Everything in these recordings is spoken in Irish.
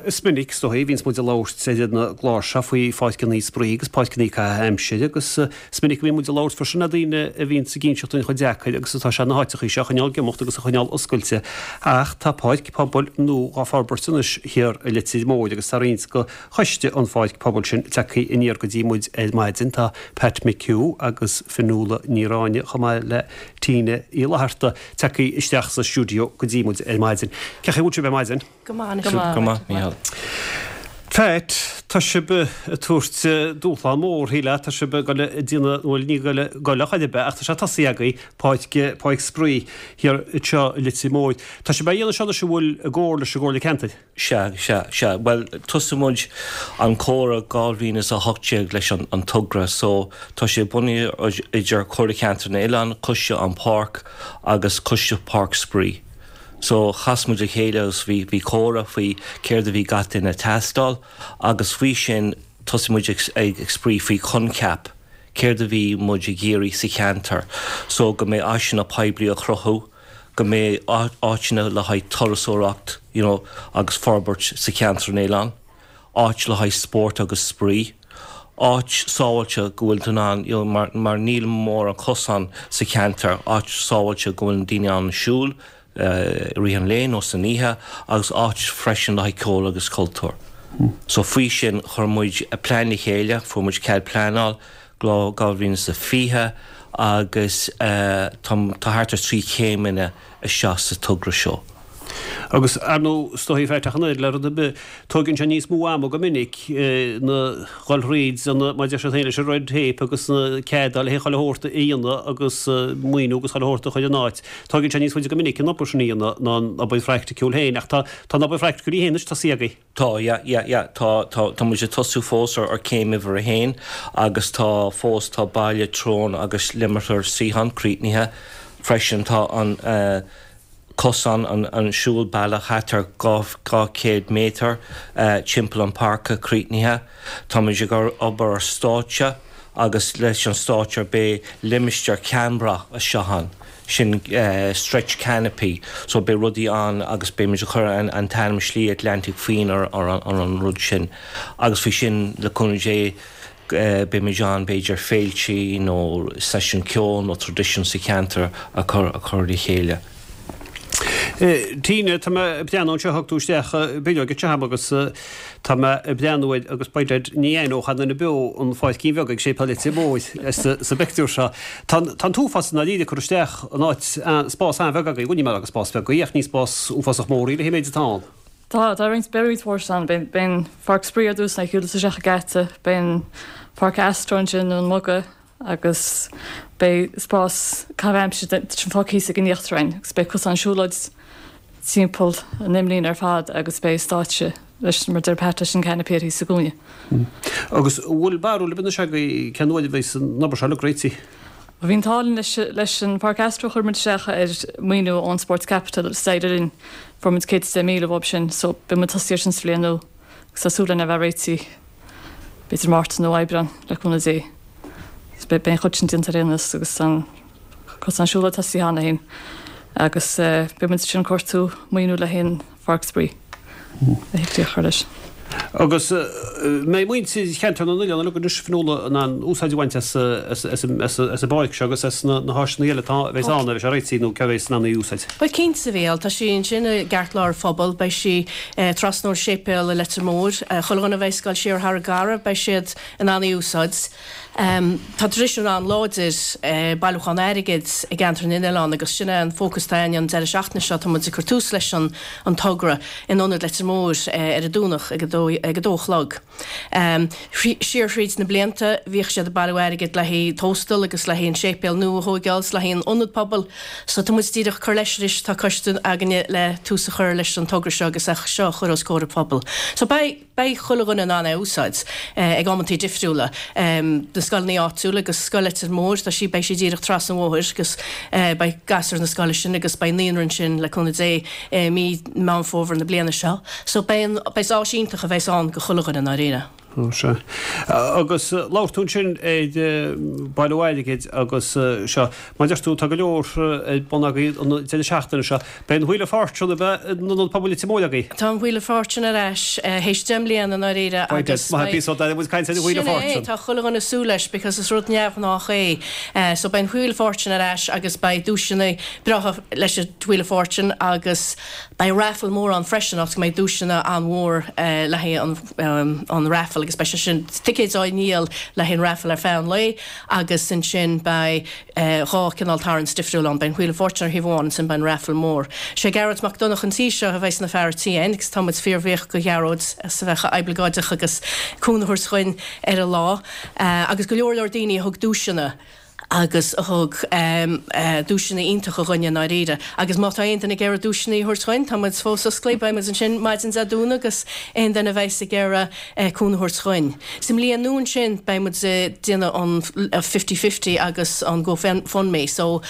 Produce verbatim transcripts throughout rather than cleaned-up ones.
Is minic is dóigh a bhíonns muid ag labhairt ar na cláir seo faoi pháirceanna spraoi agus páirceanna caitheamh aimsire agus is minic a bhíonn muid ag labhairt freisin le daoine a bhíonns ag inseacht dúinn chomh deacair agus atá sé na háiteachaí seo a choinneáil ag imeacht agus a choinneáil oscailte. Ach tá páirc pobail nua dhá forbairt anois thiar i Leitir Móir agus tá roinnt de choiste an pháirc pobail sin tagtha aniar go dtí muid ar maidin. Tá Pat McHugh agus Fionnuala Ní Ráinne chomh maith le Tina Uí Fhlatharta tagtha isteach sa stiúideo go dtí muid ar maidin. Cén chaoi a bhfuil sibh ar maidin? Go maith. Go maith, Mícheál. Pat, tá sibh ag tabhairt dúshlán mór, shílfeá, tá sibh ag dul ag déanamh, bhuel ní ag dul ag dul ar chor ar bith ach tá sé tosaithe agaibh, páirc, páirc spraoi thiar anseo i Leitir Móir. Tá sibh á dhéanamh seo anois an bhfuil i gcomhar leis an gComhairle Ceantair? Sea, sea, sea. Bhuel, tosaigh muid an comhrá dhá mhíle is a hocht déag leis an an togra so tá sé bunaithe idir Comhairle Ceantair na nOileán, Coiste an Páirc agus Coiste Páirc Spraoi. So chas muid le chéile agus bhí bhí comhrá faoi céard a bhí gach duine ag teastáil agus faoi sin tosaigh muid ag ag ag spraoi faoi coincheap céard a bhí muid ag iarraidh sa cheantar. So go mbeidh áiseanna poiblí a chruthú, go mbeidh áiteanna le haghaidh turasóireacht you know, agus forbairt sa cheantar an oileán, áit le haghaidh spórt agus spraoi, áit sábháilte go bhfuil tú in ann you know, mar, mar níl mórán cosán sa cheantar, áit sábháilte go bhfuil daoine ann siúl, i rith an lae nó san oíche agus áit freisin le haghaidh ceol agus cultúr. So faoi sin chuir muid plean le chéile, fuair muid cead pleanáil dhá mhíle is a fiche agus tá thart ar trí chéimeanna isteach sa togra seo. Agus ar ndóigh is dóigh Pat ach an oiread le rud ar bith, tógann sé níos mó ama go minic na dhul thríd an, mar a deir siad féin leis an red tape agus na ceada le chuile shórt a dhéanamh agus maoiniú agus chuile shórt a chur in áit. Tógann sé níos faide go minic an obair sin a dhéanamh ná an obair phraiticiúil féin ach tá tá an obair phraiticiúil í féin anois tosaithe agaibh. Tá, yeah, yeah, yeah, tá, tá, tá muid ag tosú fós ar ar céim uimhir a haon agus tá fós tá Baile Treoin agus Limitar Suíochán críochnaithe freisin tá an eh, cosán an, an siúlbealach thart ar dhá chéad méadar timpeall an páirce críochnaithe. Táimid ag obair ar stáitse agus leis an stáitse beidh limistéar ceannbhrat isteach ann, sin stretch canopy, so beidh rudaí ann agus beimid ag cur an, an t-ainm Slí Atlantic féin ar, ar, ar an rud sin. Agus faoi sin le cúnamh Dé beimid ann b'fhéidir féiltí nó seisiún ceoil nó traidisiún sa cheantar a chur, a chur le chéile. Tina, tá mé ag breathnú anseo, thug tú isteach bileog anseo agam agus tá mé ag breathnú air agus by dad ní aithneodh aon duine beo an pháircín bheag ag Séipéal Leitir Móir sa bpictiúr seo. Tá an t-uafás i ndáiríre ag cur isteach in áit spás an-bheag agaibh, bhuel ní mar agus spás beag í ach ní spás uafásach mór í le haghaidh an méid atá ann. Tá, tá roinnt, beidh roinnt mhór ann. Beidh, beidh an pháirc spraoi ar dtús, na shiúl isteach an geata, beidh an pháirc astro ansin nó an muga agus beidh spás caitheamh aimsire sin fágtha thíos ag an íochtaráin agus beidh cosán siúlóid timpeall an imlíne ar fad agus beidh stáitse leis mar deir Pat leis an canopy thíos sa gcúinne. Agus an bhfuil barúil ar bith anois agaibh cén uair a bheidh an obair seo uilig réitithe? Bhí an t-ádh linn leis, leis an Pháirc Astro chuir muid isteach ar maoiniú ón Sports Capital agus d'éirigh linn fuair muid céad is deich míle uaidh sin so beidh muid tosaithe ar sin sa bhliain nua agus tá súil linn a bheith réitithe b'fhéidir Márta nó Aibreán le cúnamh Dé. So beidh an chuid sin déanta ar aon nós agus an cosán siúlóid tosaithe cheana féin agus beidh muid ansin ag cuartú maoiniú le haghaidh an Pháirc Spraoi a thig a chur leis. Agus mbeidh muintir cheantar na n-oileán uilig anois Fionnuala in ann úsáid a bhaint as as an bpáirc seo agus as na háiseanna eile atá a bheas ann a bheidh sé réitithe nó cé a bheas in ann í a úsáid. Bhuel cinnte a Mhícheáil, tá sí ansin i gceartlár an phobail, beidh sí trasna ón séipéal i Leitir Móir, chuile dhuine a bheas ag dul siar thar an gCarraig beidh siad in ann í a úsáid. Tá traidisiún an-láidir bailiúchán airgid i gceantar na n-oileán agus sin é an fócas atá againn an deireadh seachtaine seo. Tá muid ag cur tús leis an an togra in Ionad Leitir Móir ar an Domhnach ag a dó ag a dó a chlog. Siar thríd na blianta bhíodh siad ag bailiú airgid le haghaidh tóstal agus le haghaidh an séipéal nua a thóigeáil is le haghaidh an ionad pobail so tá muid díreach ag cur leis anois, tá coiste againne le tús a chur leis an togra seo agus é seo a chur os comhair an phobail. So beidh. Beidh chuile dhuine in ann é a úsáid ag amantaí difriúla. Na scoileanna áitiúla agus Scoil Leitir Móir, tá sí, beidh sí díreach trasna an bhóthair agus beidh gasúir na scoile sin agus beidh naíonra ansin le cúnamh Dé i mí Meán Fómhair na bliana seo. So beidh an, beidh áis iontach a bheas ann go chuile dhuine i ndáiríre. Ó sea. Agus labhair tú ansin ar bailiú airgid agus seo, mar a deir tú, tá go leor ar bun agaibh an deireadh seachtaine seo. Beidh an Wheel of Fortune ab ea in Ionad Pobail Leitir Móir agaibh? Tá an Wheel of Fortune ar ais théis deich mbliana i ndáiríre agus Maith an píosa muid caint ar an Wheel of Sin é, Fortune. tá chuile dhuine ag súil leis because is rud neamhghnách é. So beidh an Wheel of Fortune ar ais agus beidh duaiseanna breátha leis an Wheel of Fortune agus beidh raffle mór ann freisin áit go mbeidh duaiseanna an-mhór le haghaidh an an raffle agus beidh sé sin ticéid á ndíol le haghaidh an raffle ar feadh an lae agus ansin beidh dhá cineál tarraingt difriúil ann, beidh an Wheel of Fortune ar thaobh amháin ansin beidh an raffle mór. Sé Gearóid Mac Donncha an tí seo a bheidh ina fear tí ann agus tá muid fíorbhuíoch go Ghearóid as a bheith chomh oibleagáideach agus cúnamh a thabhairt dhuinn ar an lá agus go leor leor daoine a thug duaiseanna agus a thug duaiseanna iontacha dhuinn i ndáiríre. Agus má tá aon duine ag iarraidh duaiseanna a thabhairt dhuinn, tá muid fós oscailte, beidh muid ansin maidin Dé Domhnaigh agus aon duine a bheas ag iarraidh cúnamh a thabhairt dhuinn. Sa mbliain nua ansin beidh muid ag déanamh an fifty fifty agus an Go Fund Me. So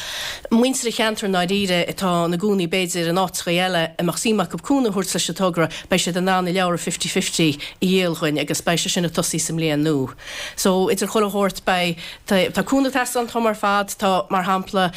muintir an cheantair i ndáiríre atá ina gcónaí b'fhéidir in áiteacha eile a mbeadh suim acu cúnamh a thabhairt leis an togra, beidh siad in ann a leabhra fifty fifty a dhíol dhuinn agus beidh sé sin ag tosaí sa mbliain nua. So idir chuile shórt beidh tá cúnamh ag teastáil an t-am ar fad. Tá, mar shampla,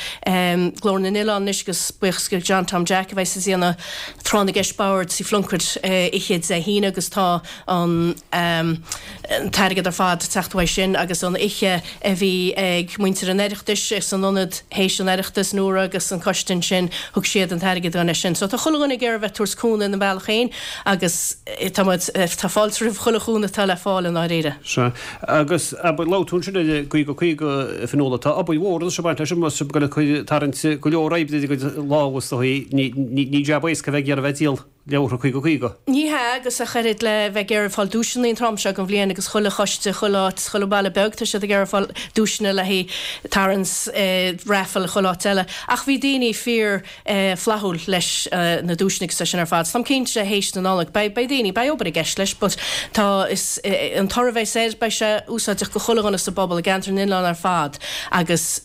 Glór na nOileán anois agus buíochas go John Tom Jack a bheas ag déanamh Tráth na gCeist Boird Tigh Phlunkett oíche Dé hAoine agus tá an t-airgead ar fad ag teacht uaidh sin agus an oíche a bhí ag muintir an Oireachtais san ionad théis an Oireachtais Nóra agus an coiste ansin thug siad an t-airgead dúinn leis sin. So tá chuile dhuine ag iarraidh bheith ag tabhairt cúnamh ina mbealach féin agus tá muid, tá fáilte roimh chuile chúnamh atá le fáil i ndáiríre. Sea. Agus abair, labhair tú ansin ar an gcaoga caoga a Fionnuala, tá obair mhór anois ag baint leis an mbus, ag dul ag tarraingt go leor oibre ar a gcuid lámha is dóigh, ní jab éasca a bheith ag iarraidh bheith ag díol leabhartha caoga caoga. Ní hea, agus ach oiread le bheith ag iarraidh fáil duaiseanna an t-am seo den bhliain agus chuile choiste, chuile áit, chuile bhaile beag, tá siad ag iarraidh fáil duaiseanna le haghaidh tarraingt raffle chuile áit eile. Ach bhí daoine fíor flaithiúil leis na duaiseanna agus é sin ar fad. Táim cinnte théis na Nollag beidh beidh daoine, beidh obair i gceist leis but tá is an toradh a bheas air beidh sé úsáideach go chuile dhuine sa bpobal i gceantar na nOileán ar fad agus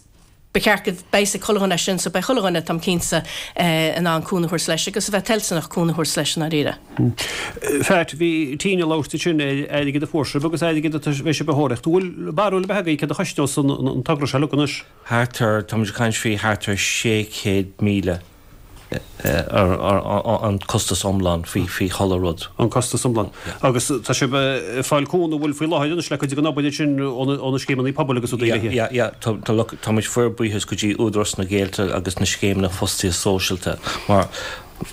ba cheart go mbeidh fhios ag chuile dhuine é sin so beidh chuile dhuine táim cinnte in ann cúnamh a thabhairt leis agus a bheith toilteanach cúnamh a thabhairt leis i ndáiríre. Pat, bhí Tina ag labhairt ansin ar airgead a fuair sibh agus airgead a bheidh sibh a thóraíocht. An bhfuil barúil ar bith agaibh céard a chosnós an togra seo uilig anois? Thart ar, tá muid ag caint faoi thart ar sé chéad míle an costas iomlán faoi faoi chuile rud. An costas iomlán. Agus tá sibh ag fáil cúnamh, an bhfuil faoi láthair anois le cuid den obair sin ó na scéimeanna pobail agus rudaí eile. Yeah, yeah, tá, tá, look, tá muid fíorbhuíochas go dtí Údarás na Gaeltachta agus na scéimeanna fostaíocht sóisialta mar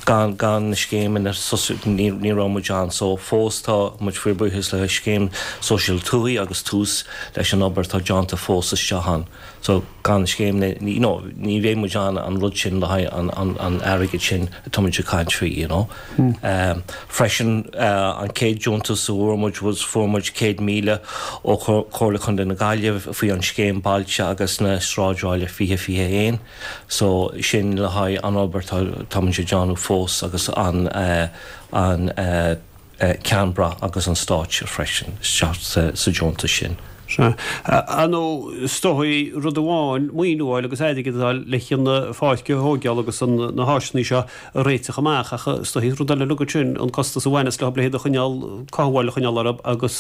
gan, gan na scéimeanna ní, ní raibh muid ann. So fós tá muid fíorbhuíochas le scéim sóisialta tuaithe agus tús leis an obair atá déanta fós isteach ann. So gan na scéimeanna, you know, ní bheidh muid ann an rud sin le haghaidh an, an, an airgead sin atá muid ag caint faoi, you know. Um, freisin uh, an chéad deontas a fuair muid was fuair muid céad míle ó Chomhairle Chontae na Gaillimhe faoi an scéim bailte agus na sráidbhaile fiche fiche haon. So sin le haghaidh an obair tá, tá muid ag déanamh fós agus an, uh, an uh, uh, ceannbrat agus an stáitse freisin isteach sa, sa deontas sin. Sea. Ar ndóigh, is dóigh rud amháin maoiniú a fháil agus airgead a fháil le chun na pháirce a thógáil agus an, na háiseanna seo a réiteach amach ach is dóigh rud eile uilig sin an costas a bhaineas leo le hiad a choinneáil, cothabháil a choinneáil orthu agus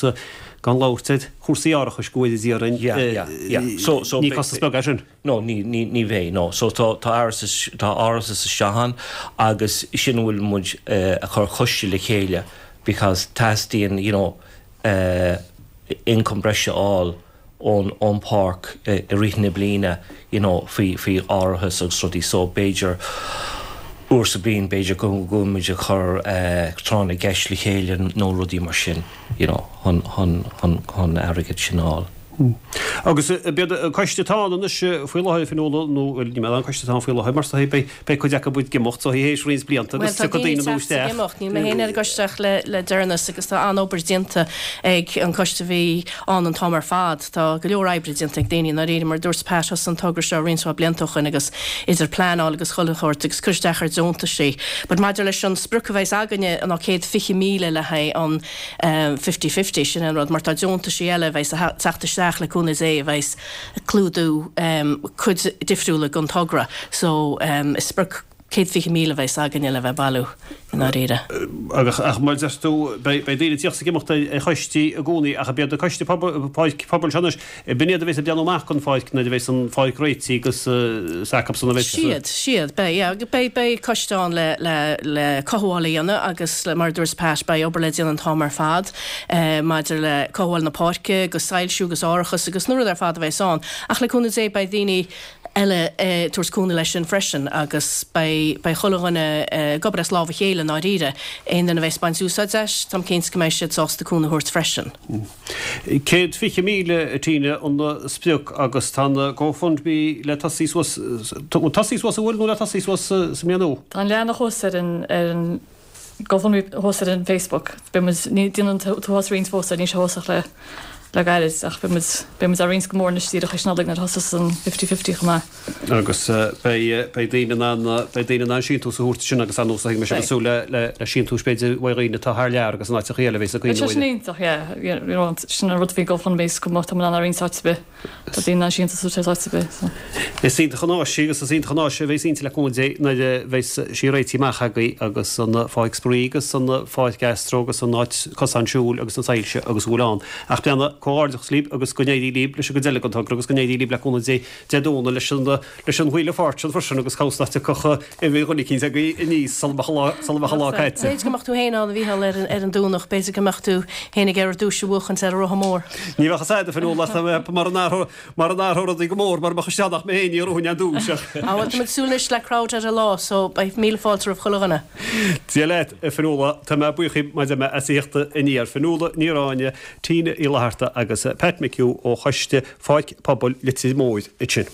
gan labhairt ar chúrsaí árachais go bhfuil a d'iarrainn. Yeah, yeah, yeah. So, so ní costas beag é sin. No, ní, ní, ní bheidh, no. So tá, tá árachas, tá árachas isteach ann agus sin a bhfuil muid uh, a chur coiste le chéile because teastaíonn, you know, uh, income breise a fháil ón ón páirc i rith na bliana, you know, faoi faoi árachas agus rudaí so b'fhéidir uair sa bhliain b'fhéidir go bhfuil muid ag cur tráth na gceist le chéile nó rudaí mar sin, you know, chun chun chun chun airgead sin a fháil. Agus b'iad an coiste atá ann anois faoi láthair, Fionnuala, nó bhuel ní mé an coiste atá ann faoi láthair mar is dóigh beidh beidh cuid acu ag imeacht so théis roinnt blianta Bhuel agus tá tiocfaidh daoine daoine ag nua teacht ag isteach. imeacht, níl mé féin ar an gcoiste ach le le deireanas agus tá an-obair déanta ag an coiste a bhí ann an t-am ar fad. Tá go leor oibre déanta ag daoine i ndáiríre mar a dúirt Pat thosaigh an togra seo roinnt mhaith blianta ó shoin agus idir pleanáil agus chuile shórt agus cur isteach ar deontaisí. But maidir leis an sprioc a bheas againne ná céad fiche míle le haghaidh an fifty fifty, sin an rud, mar tá deontaisí eile a bheas ag teacht isteach le cúnamh Dé a bheas ag clúdú cuid difriúla den togra. So is sprioc céad fiche míle a bheas againne le bheith bailiú i ndáiríre. Agus ach mar deir tú, beidh daoine ag tíocht is ag imeacht ar choistí i gcónaí ach ab iad na coistí pobail seo anois, b'in iad a bheas ag breathnú amach don pháirc nuair a bheas an pháirc réitithe agus is acusan a bheas. Siad, siad, beidh, yeah, beidh, beidh coiste ann le, le, le cothabháil a dhéanamh agus le, mar a dúirt Pat, beidh obair le déanamh an t-am ar fad maidir le cothabháil na páirce agus soilsiú agus árachas agus na rudaí ar fad a bheas ann. Ach le cúnamh Dé beidh daoine eile ag tabhairt cúnamh leis sin freisin agus beidh beidh chuile dhuine ag obair as lámh a chéile i ndáiríre. Aon duine a bheas ag baint úsáid as, táim cinnte go mbeidh siad sásta cúnamh a thabhairt freisin. Céad fiche míle, a Tina, an sprioc agus tá an GoFundMe le tosaí suas, tosaí suas an bhfuil nó le tosaí suas sa mbliain nua? Tá an leathanach thuas ar an ar an GoFundMe thuas ar an Facebook. Beidh muid, ní déanann tú thuas roinnt fós ar níl sé thuas ach le le gairid ach beidh muid, beidh muid á roinnt go mór anois díreach théis Nollaig nuair a thosas an fifty fifty chomh maith. Agus beidh, beidh daoine in ann, beidh daoine in ann síntiús a thabhairt sin agus ar nós a thuig mise cosúil le, le, le síntiúis b'fhéidir uaidh dhaoine atá thar lear agus in áiteachaí eile a bheas ag Beidh cuimhneamh sé sin iontach, yeah, you know, sin an rud faoi GoFundMe is go mbeadh tá muid in ann á roinnt áit ar bith. Tá daoine in ann síntiús a thabhairt áit ar bith, so. Is iontach an áis í agus is iontach an áis a bheas inti le cúnamh Dé nuair a bheas sí réitithe amach agaibh agus an pháirc spraoi agus an pháirc astro agus an áit cosán siúil agus na soilse agus a bhfuil ann. Ach breathnaigh, comhghairdeachas libh agus go n-éirí libh leis an gcuid eile den togra agus go n-éirí libh le cúnamh Dé Dé Domhnaigh leis an leis an chuile pháirt sin freisin agus cabhsa nach dtiocfadh uimhir dhuine eicínt agaibh aníos sula mbeadh an lá sula mbeadh an lá caite. B'fhéidir go mbeadh tú féin ann a Mhícheáil ar an ar an Domhnach, b'fhéidir go mbeadh tú féin ag iarraidh duais a bhuachaint ar an rotha mór. Ní bheadh fhios a'd a Fionnuala ach tá mé mar an athródh mar an athródh rudaí go mór mar mbeadh isteach nach mé féin ní thabharfainn an duais ach. Á bhuel tá muid ag súil anois le crowd ar an lá so beidh míle fáilte roimh chuile dhuine. Dia leat, a Fionnuala, tá mé buíoch díbh maidir mé as a thíocht aniar. Fionnuala Ní Ráinne, Tina Uí Fhlatharta agus Pat McHugh ó Choiste Pháirc Pobail Leitir Móir ansin.